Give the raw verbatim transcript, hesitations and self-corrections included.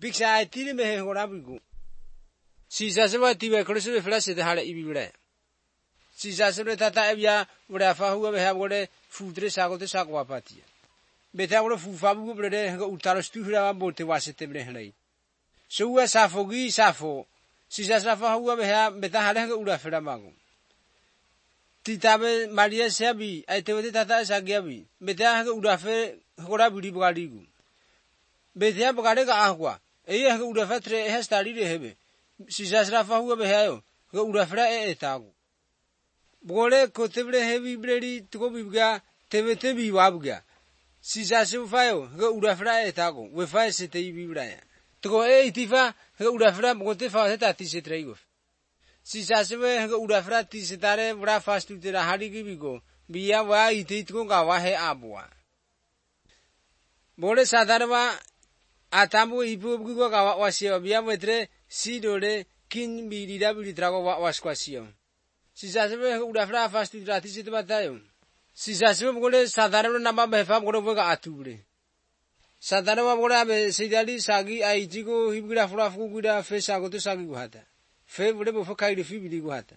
Biksa ai tiri me hengora bigu. Sisa sewa tiwe krusu flash de hale ibibire. Sisa sewa tata ebya wura fa huwa beha wore fudre sago te sakwa patia. Beta wore fu fa bugu brede hanga utaro stuhura wa bote wasete bre hanai. Suwa safogi safo. Sisa safa huwa beha beta hale hanga ura fera mago. Titabe Maria sebi ai te tata sagiabi. Beta hanga ura fe hora budi bugaligu. Beta bugale ga ahwa. Eye hanga ura fatre he stari re hebe. Sisa safa huwa beha yo. Hanga ura fera e etago. Bugole kotebre hebi bredi tuko bibga tebe tebi wabga. Sisa sefayo hanga ura fera etago. We fa se te bibra ya. Tuko e itifa hanga ura fera bote fa heta ti se traigo. Sisa sewe hanga ura fera ti se tare bra fastu te ra hari gibigo. Biya wa iti tuko ga wa he abwa. Bole sadarwa atamu ipu bugo ga wa wasio biya metre sidore kin bi dida bi trago wa wasquasio. Sisa sewe hanga ura fera fastu ra ti se te batayo. Sisa sewe bole sadarwa namba befa bole ga atubre. Sadarwa bole abe sidali sagi ai jigo hibgra fura fuguda fe sago to sagi guhata. Fe bole bo fa kai de fi bi guhata.